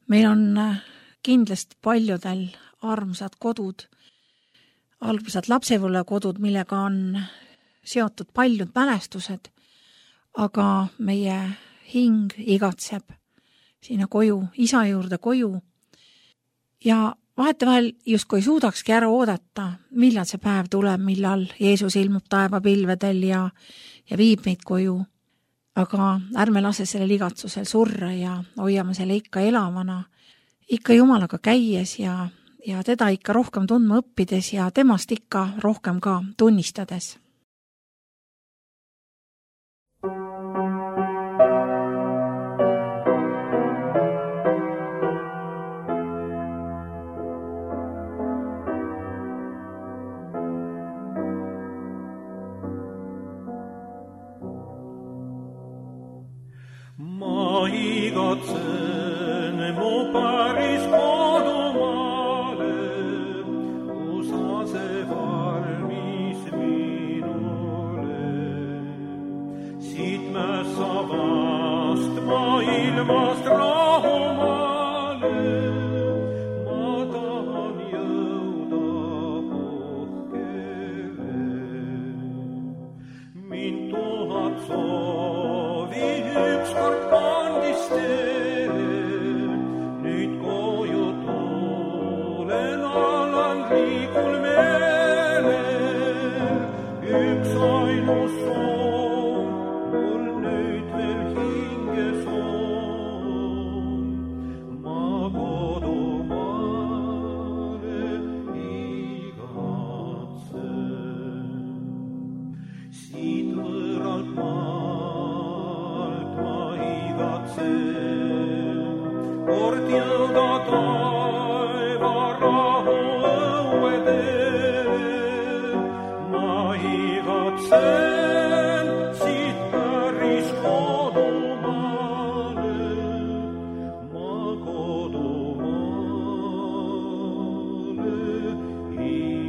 Meil on kindlasti paljudel armsad kodud, algusad lapsepõlvekodud, millega on seotud paljud mälestused, aga meie hing igatseb sinna koju, isa juurde koju ja vahetevahel justkui ei suudakski ära oodata, millal see päev tuleb, millal Jeesus ilmub taevapilvedel ja, ja viib meid koju. Aga ärme lase sellel igatsusel surra ja hoiame selle ikka elavana, ikka Jumalaga käies ja ja teda ikka rohkem tundma õppides ja temast ikka rohkem ka tunnistades. Ma igatsen mu päris kodumaale, see valmis minule. Siit me savast maailmast rahumaale, ma tahan jõuda puhkele. Mind tuhat soovi ükskord kandis teele, nüüd koju tulen alan riikul meele. Üks ainus soov mul nüüd veel hinges on, ma kodumaale igatsen. Siit võralt maalt ma igatsen, kord jõuda taeva rahu õuedele. Ma igatsen siit päris kodumaale, ma kodumaale igatsen.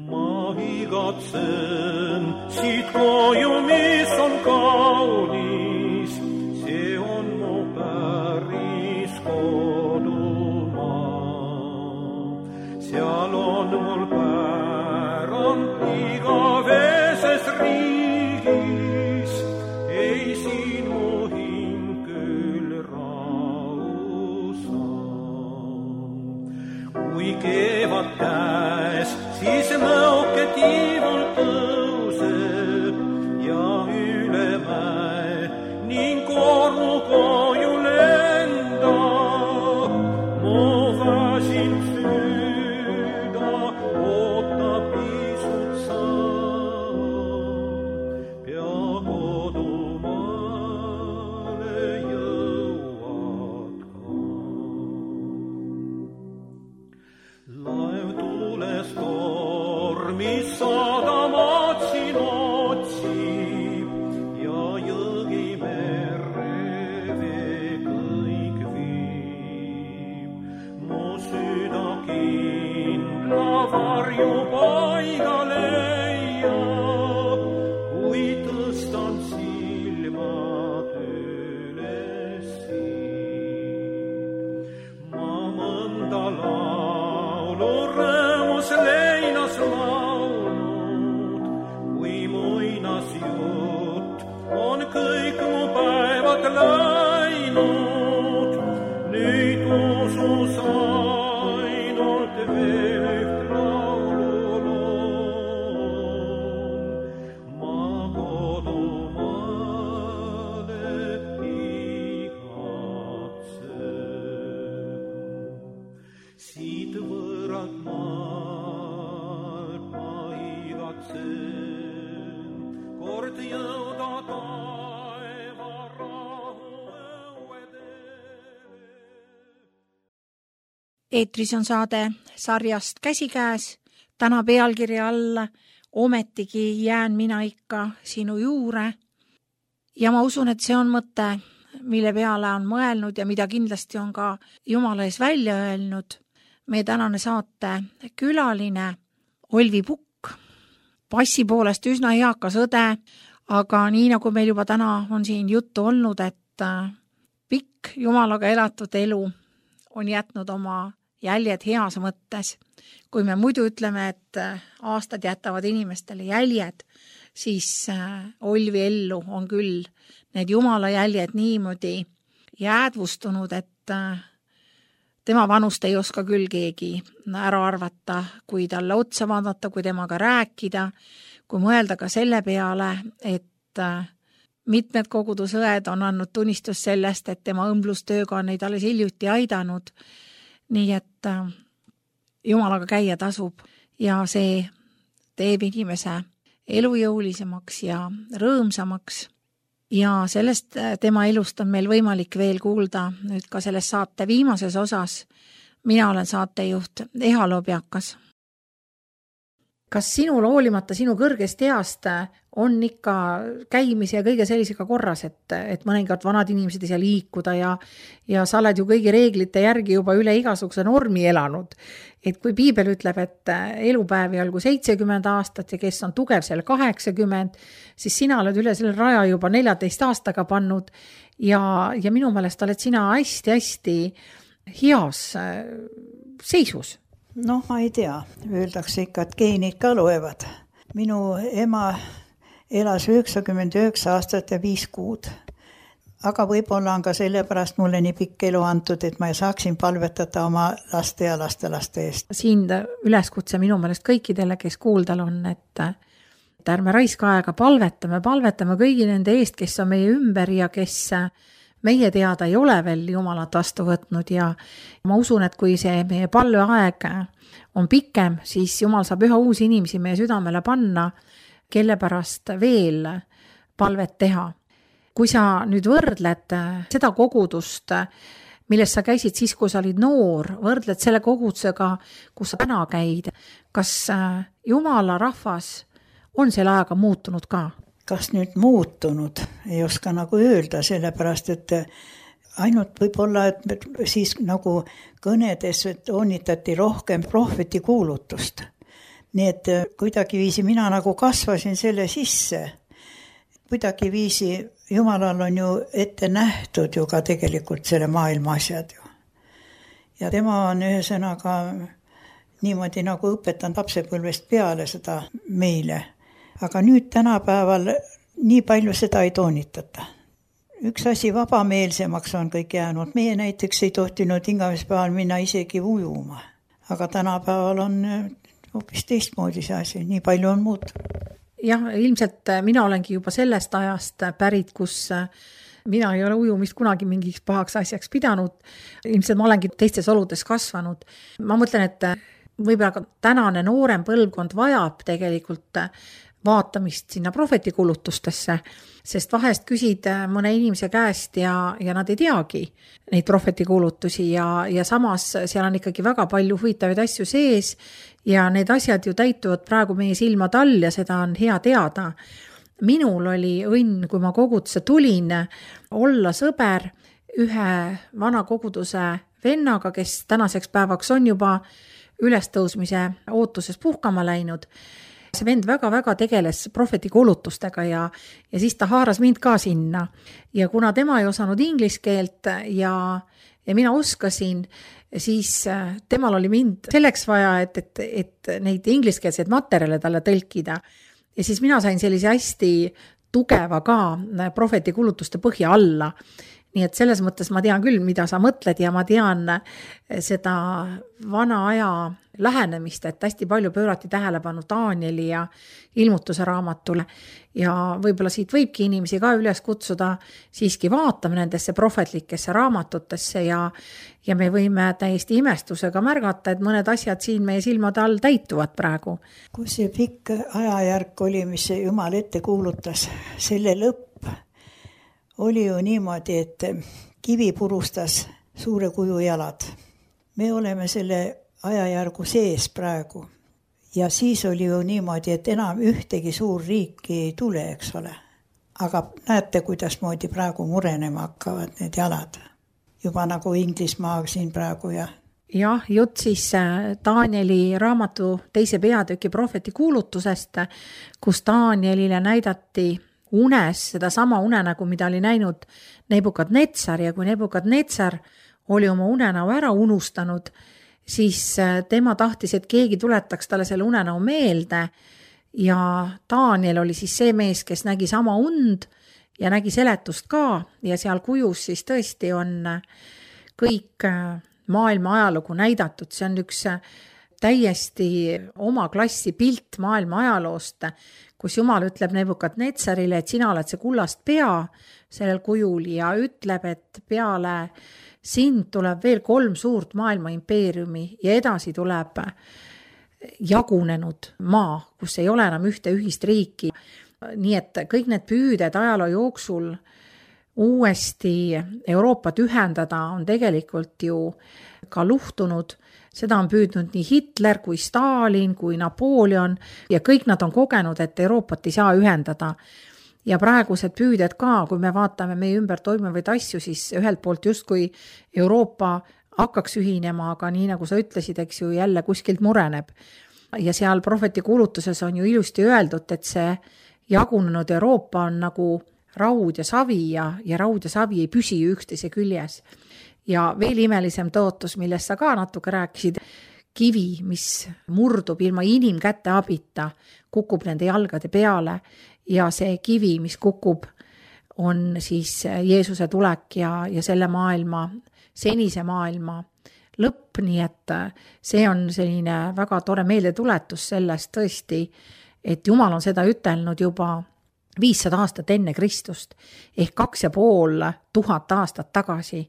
Ma igatsen igatsen siit koju, mis on kaunis, see on mu päris kodumaa. Seal on mul pärand igaveses riigis, ei siin mu hing küll rahu saa. Kui keevad käes, siis nõuke tiivul tõuseb ja üle mäe ning kornu koju lendab. Mu väsin süda ootab pisut saam, pea kodumaale jõuad ka. Laev tules tormis sadamad siin otsib ja jõgi merre vee kõik viib. Mu süda kindla varju paiga leiab, kui tõstan silmad üles siit. Ma mõnda laulu rõõmus leinas laulnud, kui muinasjutt on kõik mu päevad läinud. Nüüd usus ainult veel üht laulu loon. Ma kodumaale igatsen, siit võõralt maalt ma igatsen kord jõuda taeva rahu õuedele. Eetris on saade sarjast Käsikäes, täna pealkirja alla Ometigi jään mina ikka sinu juure. Ja ma usun, et see on mõte, mille peale on mõelnud ja mida kindlasti on ka Jumala ees välja öelnud meie tänane saate külaline Olvi Pukk, passi poolest üsna eakas õde, aga nii nagu meil juba täna on siin juttu olnud, et pikk Jumalaga elatud elu on jätnud oma jäljed heas mõttes. Kui me muidu ütleme, et aastad jätavad inimestele jäljed, siis Olvi ellu on küll need Jumala jäljed niimoodi jäädvustunud, et tema vanust ei oska küll keegi ära arvata, kui talle otsa vaadata, kui temaga rääkida, kui mõelda ka selle peale, et mitmed kogudusõed on andnud tunnistus sellest, et tema õmblustööga on neid alles hiljuti aidanud. Nii et Jumalaga käia tasub ja see teeb inimese elujõulisemaks ja rõõmsamaks. Ja sellest tema elust on meil võimalik veel kuulda nüüd ka selles saate viimases osas. Mina olen saatejuht Eha Lobjakas. Kas sinul hoolimata sinu kõrgest east on ikka käimise ja kõige sellisega korras, et, et mõningad vanad inimesed ei saa liikuda ja, ja sa oled ju kõigi reeglite järgi juba üle igasuguse normi elanud. Et kui piibel ütleb, et elupäevi olgu seitsekümmend aastat ja kes on tugev seal kaheksakümmend, siis sina oled üle selle raja juba neljateist aastaga pannud ja, ja minu meelest oled sina hästi-hästi heas seisus. Noh, ma ei tea, öeldakse ikka, et geenid ka loevad. Minu ema elas üheksakümmend üheksa aastat ja viis kuud. Aga võib-olla on ka sellepärast mulle nii pikk elu antud, et ma saaksin palvetada oma laste ja lastelaste eest. Siin üleskutse minu meelest kõikidele, kes kuuldal on, et ärme raiska aega palvetame, palvetame kõigi nende eest, kes on meie ümber ja kes meie teada ei ole veel Jumalat vastu võtnud ja ma usun, et kui see meie palveaeg on pikem, siis Jumal saab üha uusi inimesi meie südamele panna, kelle pärast veel palvet teha. Kui sa nüüd võrdled seda kogudust, milles sa käisid siis, kui sa olid noor, võrdled selle kogudusega, kus sa täna käid, kas Jumala rahvas on selle ajaga muutunud ka? Kas nüüd muutunud, ei oska nagu öelda, sellepärast, et ainult võib-olla, et siis nagu kõnedes toonitati rohkem prohveti kuulutust. nii et kuidagiviisi mina nagu kasvasin selle sisse. Kuidagiviisi Jumalal on ju ette nähtud ju ka tegelikult selle maailma asjad ju. Ja tema on ühesõnaga niimoodi nagu õpetanud lapsepõlvest peale seda meile. Aga nüüd tänapäeval nii palju seda ei toonitata. Üks asi vabameelsemaks on kõik jäänud. Meie näiteks ei tohtinud hingamispäeval minna isegi ujuma. Aga tänapäeval on hoopis teistmoodi see asi. Nii palju on muutunud. Jah, ilmselt mina olengi juba sellest ajast pärit, kus mina ei ole ujumist kunagi mingiks pahaks asjaks pidanud. Ilmselt ma olengi teistes oludes kasvanud. Ma mõtlen, et võib-olla tänane noorem põlvkond vajab tegelikult vaatamist sinna prohvetikulutustesse, sest vahest küsid mõne inimese käest ja, ja nad ei teagi neid prohvetikulutusi ja, ja samas seal on ikkagi väga palju huvitavaid asju sees ja need asjad ju täituvad praegu meie silmad all ja seda on hea teada. Minul oli õnn, kui ma kogudusse tulin, olla sõber ühe vana koguduse vennaga, kes tänaseks päevaks on juba ülestõusmise ootuses puhkama läinud. See vend väga-väga tegeles prohvetikuulutustega ja, ja siis ta haaras mind ka sinna. Ja kuna tema ei osanud inglise keelt ja, ja mina oskasin, siis temal oli mind selleks vaja, et, et, et neid ingliskeelseid materjale talle tõlkida. Ja siis mina sain sellise hästi tugeva ka prohvetikuulutuste põhja alla. Nii et selles mõttes ma tean küll, mida sa mõtled ja ma tean seda vana aja lähenemist, et hästi palju pöörati tähelepanu Danieli ja ilmutuse raamatule ja võib-olla siit võibki inimesi ka üles kutsuda siiski vaatama nendesse prohvetlikesse raamatutesse ja, ja me võime täiesti imestusega märgata, et mõned asjad siin meie silmade all täituvad praegu. Kus see pikk ajajärk oli, mis Jumal ette kuulutas, selle lõpp oli ju niimoodi, et kivi purustas suure kuju jalad. Me oleme selle ajajärgu sees praegu. Ja siis oli ju niimoodi, et enam ühtegi suur riiki ei tule, eks ole. Aga näete, kuidas moodi praegu murenema hakkavad need jalad. Juba nagu Inglismaa siin praegu ja... Jah, jutt siis Danieli raamatu teise peatüki prohveti kuulutusest, kus Danielile näidati unes seda sama unenägu, mida oli näinud Nebukadnetsar ja kui Nebukadnetsar oli oma unenäu ära unustanud, siis tema tahtis, et keegi tuletaks talle selle unenäu meelde ja Daniel oli siis see mees, kes nägi sama und ja nägi seletust ka ja seal kujus siis tõesti on kõik maailma ajalugu näidatud. See on üks täiesti oma klassi pilt maailma ajaloost, kus Jumal ütleb Nebukadnetsarile, et sina oled see kullast pea sellel kujul ja ütleb, et peale sind tuleb veel kolm suurt maailma impeeriumi ja edasi tuleb jagunenud maa, kus ei ole enam ühte ühist riiki. Nii et kõik need püüded ajaloo jooksul uuesti Euroopat ühendada on tegelikult ju ka luhtunud. Seda on püüdnud nii Hitler kui Stalin kui Napoleon ja kõik nad on kogenud, et Euroopat ei saa ühendada. Ja praegused püüded ka, kui me vaatame meie ümber toimuvaid asju, siis ühelt poolt just kui Euroopa hakkaks ühinema, aga nii nagu sa ütlesid, eks ju jälle kuskilt mureneb. Ja seal prohvetikuulutuses on ju ilusti öeldud, et see jagunenud Euroopa on nagu raud ja savi ja, ja raud ja savi ei püsi üksteise küljes. Ja veel imelisem tõotus, millest sa ka natuke rääkisid, kivi, mis murdub ilma inimkäte abita, kukub nende jalgade peale ja see kivi, mis kukub, on siis Jeesuse tulek ja, ja selle maailma, senise maailma lõpp, nii et see on selline väga tore meeldetuletus sellest tõesti, et Jumal on seda ütelnud juba viissada aastat enne Kristust ehk kaks ja pool tuhat aastat tagasi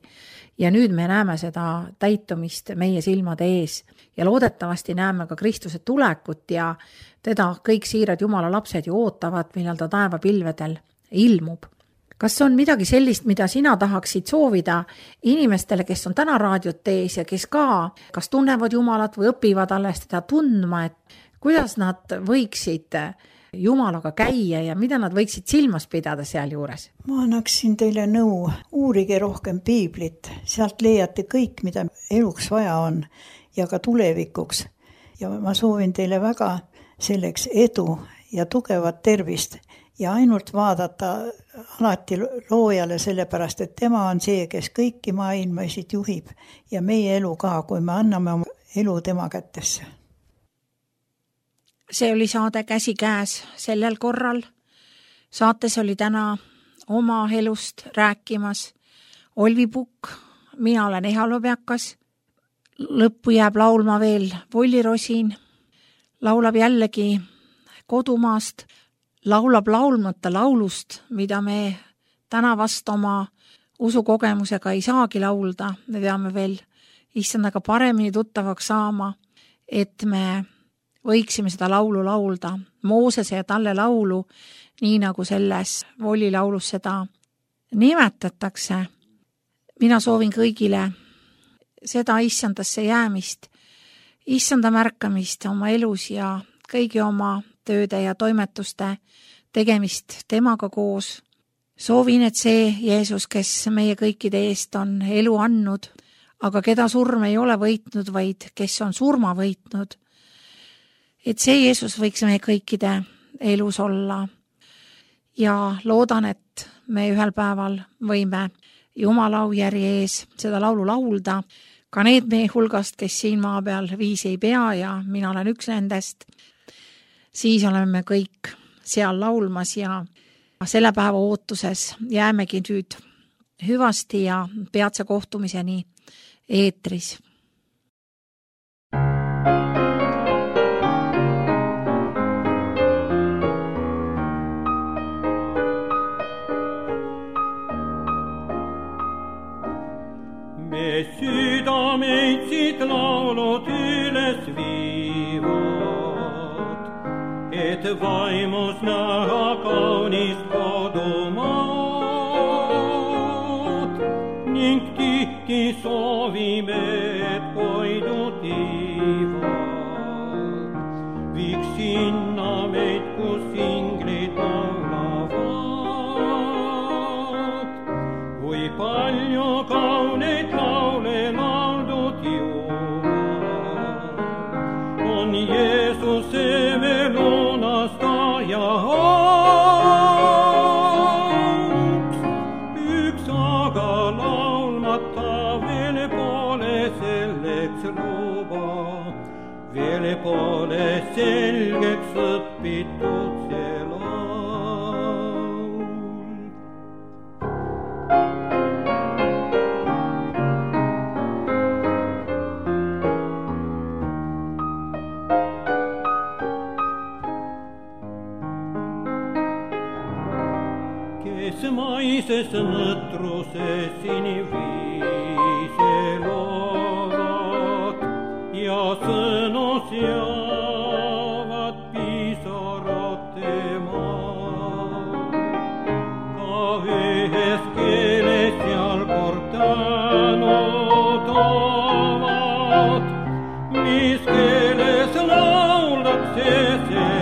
ja nüüd me näeme seda täitumist meie silmade ees ja loodetavasti näeme ka Kristuse tulekut ja teda kõik siirad Jumala lapsed ju ootavad, millal ta taevapilvedel ilmub. Kas on midagi sellist, mida sina tahaksid soovida inimestele, kes on täna raadiot ees ja kes ka kas tunnevad Jumalat või õpivad alles teda tundma, et kuidas nad võiksid Jumalaga käia ja mida nad võiksid silmas pidada seal juures? Ma annaksin teile nõu, uurige rohkem piiblit, sealt leiate kõik, mida eluks vaja on ja ka tulevikuks. Ja ma soovin teile väga selleks edu ja tugevat tervist ja ainult vaadata alati loojale, sellepärast et tema on see, kes kõiki maailmasid juhib ja meie elu ka, kui me anname oma elu tema kätesse. See oli saade Käsikäes sellel korral. Saates oli täna oma elust rääkimas Olvi Pukk, mina olen Eha Lobjakas. Lõppu jääb laulma veel Volli Rosin, laulab jällegi kodumaast, laulab laulmata laulust, mida me täna vast oma usukogemusega ei saagi laulda. Me peame veel issandaga paremini tuttavaks saama, et me võiksime seda laulu laulda. Moosese ja talle laulu, nii nagu selles Volli laulus seda nimetatakse. Mina soovin kõigile seda issandasse jäämist, issanda märkamist oma elus ja kõigi oma tööde ja toimetuste tegemist temaga koos. Soovin, et see Jeesus, kes meie kõikide eest on elu andnud, aga keda surm ei ole võitnud, vaid kes on surma võitnud, et see Jeesus võiks meie kõikide elus olla. Ja loodan, et me ühel päeval võime Jumala aujärje ees seda laulu laulda, ka need meie hulgast, kes siin maa peal viisi ei pea ja mina olen üks nendest, siis oleme kõik seal laulmas ja selle päeva ootuses jäämegi nüüd hüvasti ja peatse kohtumiseni eetris. Me südameid siit laulud üles viivad, et vaimus näha kaunist kodumaad ning tihti soovime, et koidu tiivad viiks sinna meid, kus inglid laulavad. Kui palju kauneid laule lauldud juba, on Jeesuse veel unastaja auks. Üks aga laulmata veel pole selleks luba, veel pole selgeks õpitud see laul. Kes maises nõtruses siniviise loovad ja sõnu seavad pisarate maa. Ka ühes keeles seal kordanud toovad, mis keeles lauldakse seda.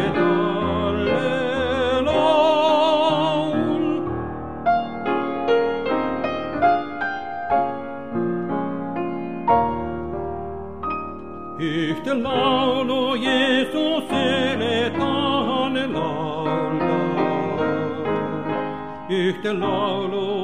Ühte laulu Jeesusele tahan laulda, ühte laulu